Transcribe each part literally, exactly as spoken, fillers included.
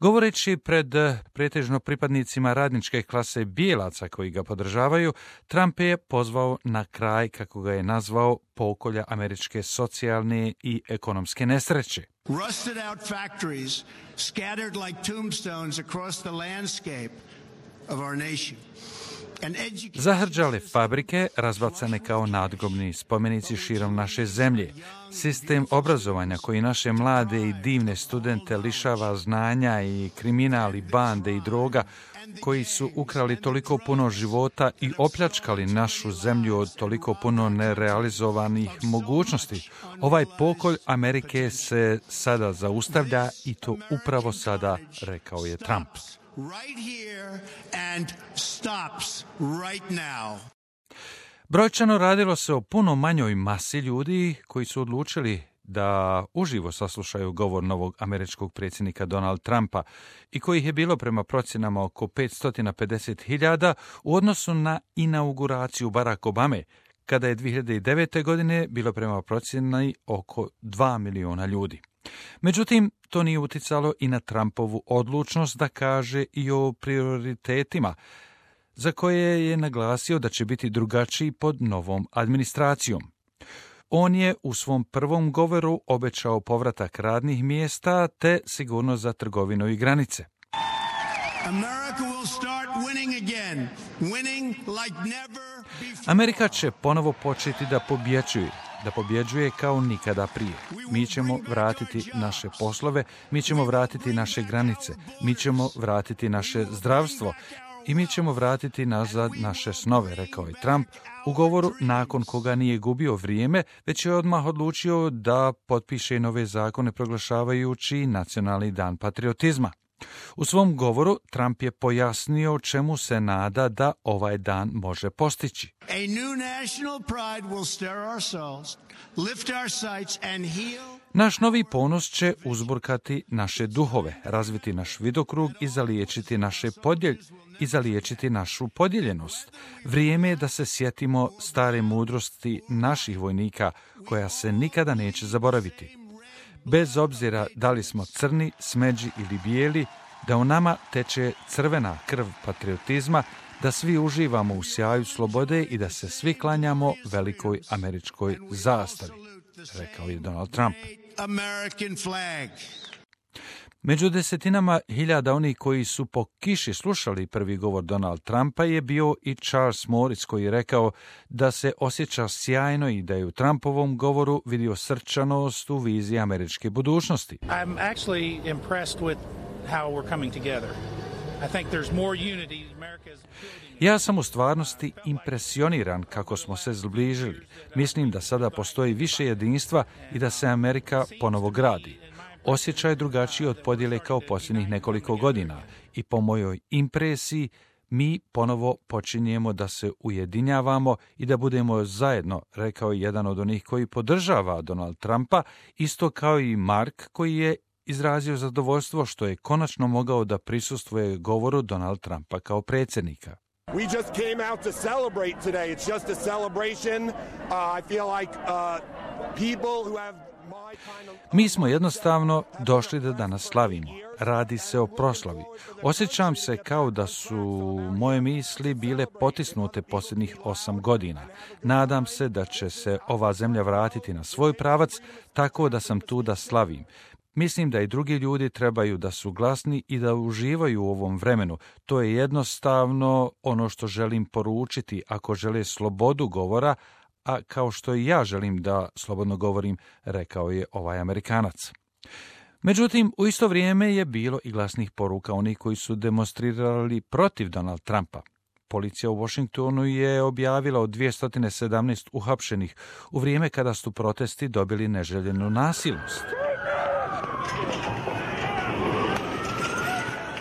Govoreći pred pretežno pripadnicima radničke klase bijelaca koji ga podržavaju, Trump je pozvao na kraj, kako ga je nazvao, pokolja američke socijalne i ekonomske nesreće. Rusted out factories scattered like tombstones across the landscape of our nation. Zahrđale fabrike, razbacane kao nadgrobni spomenici širom naše zemlje. Sistem obrazovanja koji naše mlade i divne studente lišava znanja i kriminal i bande i droga koji su ukrali toliko puno života i opljačkali našu zemlju od toliko puno nerealizovanih mogućnosti. Ovaj pokolj Amerike se sada zaustavlja i to upravo sada, rekao je Trump. Right here and stops right now. Brojčano radilo se o puno manjoj masi ljudi koji su odlučili da uživo saslušaju govor novog američkog predsjednika Donald Trumpa i kojih je bilo prema procjenama oko petsto pedeset hiljada u odnosu na inauguraciju Barack Obame, kada je dvije hiljade devete. godine bilo prema procjeni oko dva miliona ljudi. Međutim, to nije uticalo i na Trumpovu odlučnost da kaže i o prioritetima, za koje je naglasio da će biti drugačiji pod novom administracijom. On je u svom prvom govoru obećao povratak radnih mjesta te sigurnost za trgovinu i granice. America will start winning again, winning like never before. Amerika će ponovo početi da pobjeđuje, da pobjeđuje kao nikada prije. Mi ćemo vratiti naše poslove, mi ćemo vratiti naše granice, mi ćemo vratiti naše zdravstvo i mi ćemo vratiti nazad naše snove, rekao je Trump u govoru nakon koga nije gubio vrijeme, već je odmah odlučio da potpiše nove zakone proglašavajući Nacionalni dan patriotizma. U svom govoru Trump je pojasnio čemu se nada da ovaj dan može postići. A new national pride will stir our souls, lift our sights and heal. Naš novi ponos će uzburkati naše duhove, razviti naš vidokrug i zaliječiti naše podjelj i zaliječiti našu podijeljenost. Vrijeme je da se sjetimo stare mudrosti naših vojnika koja se nikada neće zaboraviti. Bez obzira da li smo crni, smeđi ili bijeli, da u nama teče crvena krv patriotizma, da svi uživamo u sjaju slobode i da se svi klanjamo velikoj američkoj zastavi, rekao je Donald Trump. American flag. Među desetinama hiljada onih koji su po kiši slušali prvi govor Donald Trumpa je bio i Charles Morris koji je rekao da se osjeća sjajno i da je u Trumpovom govoru vidio srčanost u viziji američke budućnosti. I'm actually impressed with how we're coming together. I think there's more unity. America's Ja sam u stvarnosti impresioniran kako smo se zbližili. Mislim da sada postoji više jedinstva i da se Amerika ponovo gradi. Osjećaj je drugačiji od podjele kao posljednjih nekoliko godina i po mojoj impresiji mi ponovo počinjemo da se ujedinjavamo i da budemo zajedno, rekao je jedan od onih koji podržava Donald Trumpa, isto kao i Mark koji je izrazio zadovoljstvo što je konačno mogao da prisustvuje govoru Donald Trumpa kao predsjednika. We just came out to celebrate today. It's just a celebration. Uh, I feel like uh, people who have my kind of... Mi smo jednostavno došli da danas slavimo. Radi se o proslavi. Osjećam se kao da su moje misli bile potisnute posljednjih osam godina. Nadam se da će se ova zemlja vratiti na svoj pravac, tako da sam tu da slavim. Mislim da i drugi ljudi trebaju da su glasni i da uživaju u ovom vremenu. To je jednostavno ono što želim poručiti ako žele slobodu govora, a kao što i ja želim da slobodno govorim, rekao je ovaj Amerikanac. Međutim, u isto vrijeme je bilo i glasnih poruka onih koji su demonstrirali protiv Donald Trumpa. Policija u Washingtonu je objavila o dvjesto sedamnaest uhapšenih u vrijeme kada su protesti dobili neželjenu nasilnost.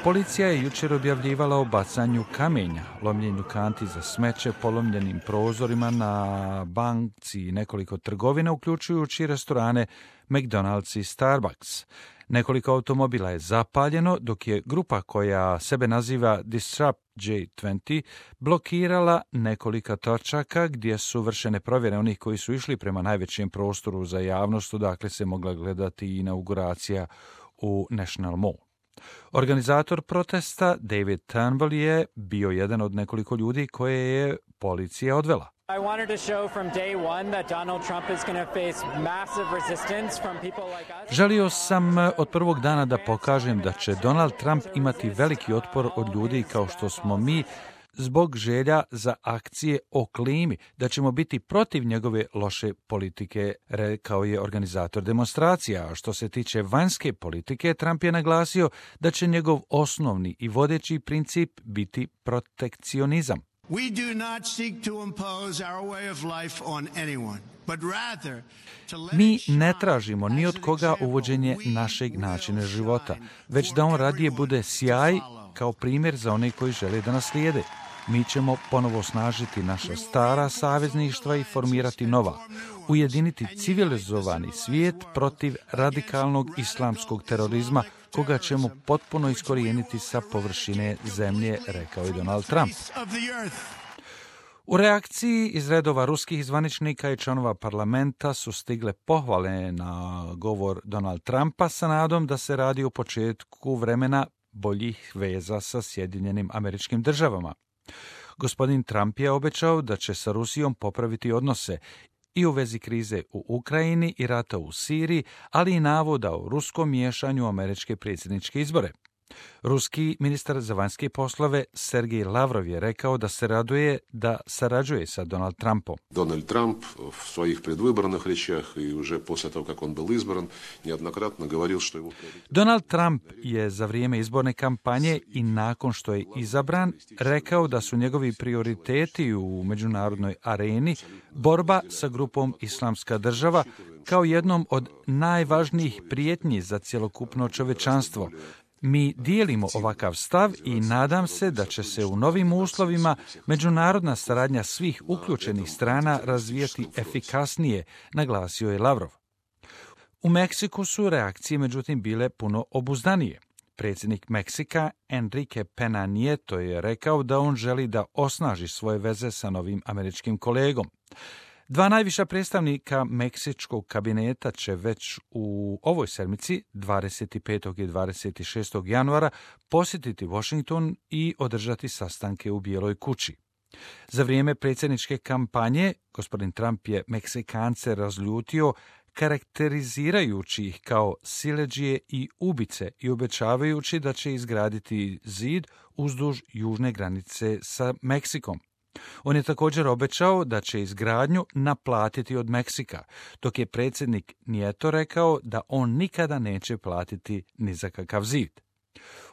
Policija je jučer objavljivala o bacanju kamenja, lomljenju kanti za smeće, polomljenim prozorima na banci i nekoliko trgovina, uključujući restorane McDonald's i Starbucks. Nekoliko automobila je zapaljeno, dok je grupa koja sebe naziva Disrupt J dvadeset blokirala nekolika točaka gdje su vršene provjere onih koji su išli prema najvećem prostoru za javnost, odakle se mogla gledati inauguracija u National Mall. Organizator protesta David Turnbull je bio jedan od nekoliko ljudi koje je policija odvela. I wanted to show from day one that Donald Trump is going to face massive resistance from people like us. Želio sam od prvog dana da pokažem da će Donald Trump imati veliki otpor od ljudi kao što smo mi zbog želja za akcije o klimi, da ćemo biti protiv njegove loše politike, rekao je organizator demonstracija. A što se tiče vanjske politike, Trump je naglasio da će njegov osnovni i vodeći princip biti protekcionizam. We do not seek to impose our way of life on anyone, but rather to let Mi it shine ne tražimo ni od as an koga example uvođenje we našeg will načina života, shine već for da on radije everyone bude to sjaj follow. kao primjer za one koji žele da nas slijede. Mi ćemo ponovo snažiti naša stara savezništva i formirati nova, ujediniti civilizovani svijet protiv radikalnog islamskog terorizma, koga ćemo potpuno iskorijeniti sa površine zemlje, rekao je Donald Trump. Of the earth. U reakciji iz redova ruskih zvaničnika i članova parlamenta su stigle pohvale na govor Donald Trumpa sa nadom da se radi o početku vremena boljih veza sa Sjedinjenim Američkim Državama. Gospodin Trump je obećao da će sa Rusijom popraviti odnose i u vezi krize u Ukrajini i rata u Siriji, ali i navoda o ruskom miješanju u američke predsjedničke izbore. Ruski ministar za vanjske poslove Sergej Lavrov je rekao da se raduje da sarađuje sa Donald Trumpom. Donald Trump в своих предвыборных речах и уже после того, как он был избран, неоднократно говорил, что его... Donald Trump je za vrijeme izborne kampanje i nakon što je izabran rekao da su njegovi prioriteti u međunarodnoj areni borba sa grupom Islamska država kao jednom od najvažnijih prijetnji za cjelokupno čovečanstvo. Mi dijelimo ovakav stav i nadam se da će se u novim uslovima međunarodna saradnja svih uključenih strana razvijati efikasnije, naglasio je Lavrov. U Meksiku su reakcije međutim bile puno obuzdanije. Predsjednik Meksika Enrique Pena Nieto je rekao da on želi da osnaži svoje veze sa novim američkim kolegom. Dva najviša predstavnika meksičkog kabineta će već u ovoj sedmici, dvadeset petog i dvadeset šestog januara, posjetiti Washington i održati sastanke u Bijeloj kući. Za vrijeme predsjedničke kampanje, gospodin Trump je Meksikance razljutio karakterizirajući ih kao siledžije i ubice i obećavajući da će izgraditi zid uzduž južne granice sa Meksikom. On je također obećao da će izgradnju naplatiti od Meksika, dok je predsjednik Nieto rekao da on nikada neće platiti ni za kakav zid.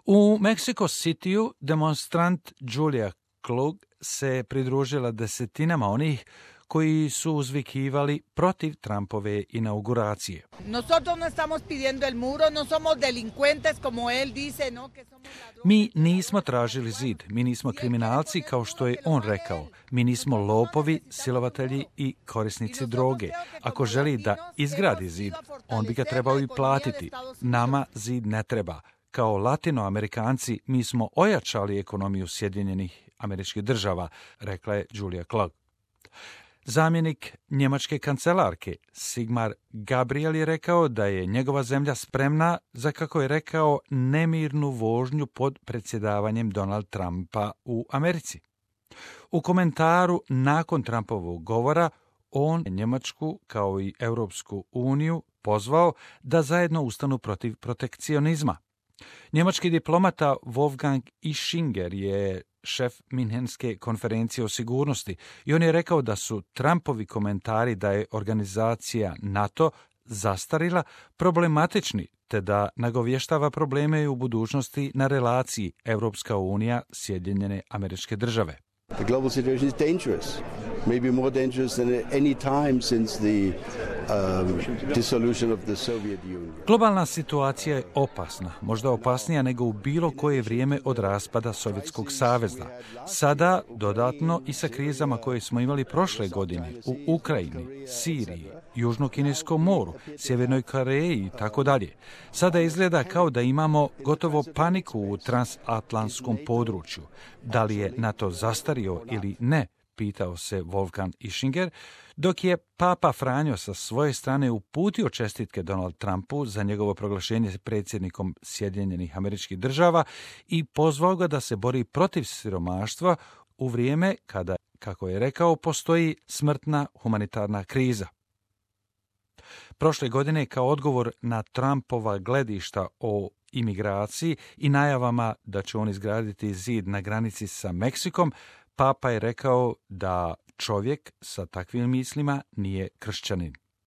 U Mexico Cityu demonstrant Julia Klug se pridružila desetinama onih koji su uzvikivali protiv Trumpove inauguracije. Nosotros no estamos pidiendo el muro, no somos delincuentes como él dice, no, que somos ladrones. Mi nismo tražili zid, mi nismo kriminalci kao što je on rekao. Mi nismo lopovi, silovatelji i korisnici droge. Ako želi da izgradi zid, on bi ga trebao i platiti. Nama zid ne treba. Kao Latinoamerikanci mi smo ojačali ekonomiju Sjedinjenih Američkih Država, rekla je Julia Klug. Zamjenik njemačke kancelarke Sigmar Gabriel je rekao da je njegova zemlja spremna za, kako je rekao, nemirnu vožnju pod predsjedavanjem Donald Trumpa u Americi. U komentaru nakon Trumpovog govora on je Njemačku kao i Europsku uniju pozvao da zajedno ustanu protiv protekcionizma. Njemački diplomata Wolfgang Ischinger je šef Minhenske konferencije o sigurnosti i on je rekao da su Trumpovi komentari da je organizacija NATO zastarila problematični, te da nagovještava probleme u budućnosti na relaciji Europska unija – Sjedinjene Američke Države. The global situation is dangerous, maybe more dangerous than at any time since the um, dissolution of the Soviet Union. Globalna situacija je opasna, možda opasnija nego u bilo koje vrijeme od raspada Sovjetskog saveza. Sada, dodatno i sa krizama koje smo imali prošle godine u Ukrajini, Siriji, Južnokineskom moru, Sjevernoj Koreji i tako dalje. Sada izgleda kao da imamo gotovo paniku u transatlantskom području. Da li je NATO zastario ili ne, upitao se Wolfgang Ischinger, dok je Papa Franjo sa svoje strane uputio čestitke Donald Trumpu za njegovo proglašenje predsjednikom Sjedinjenih Američkih Država i pozvao ga da se bori protiv siromaštva u vrijeme kada, kako je rekao, postoji smrtna humanitarna kriza. Prošle godine, kao odgovor na Trumpova gledišta o imigraciji i najavama da će on izgraditi zid na granici sa Meksikom, Papa je rekao da čovjek sa takvim mislima nije kršćanin.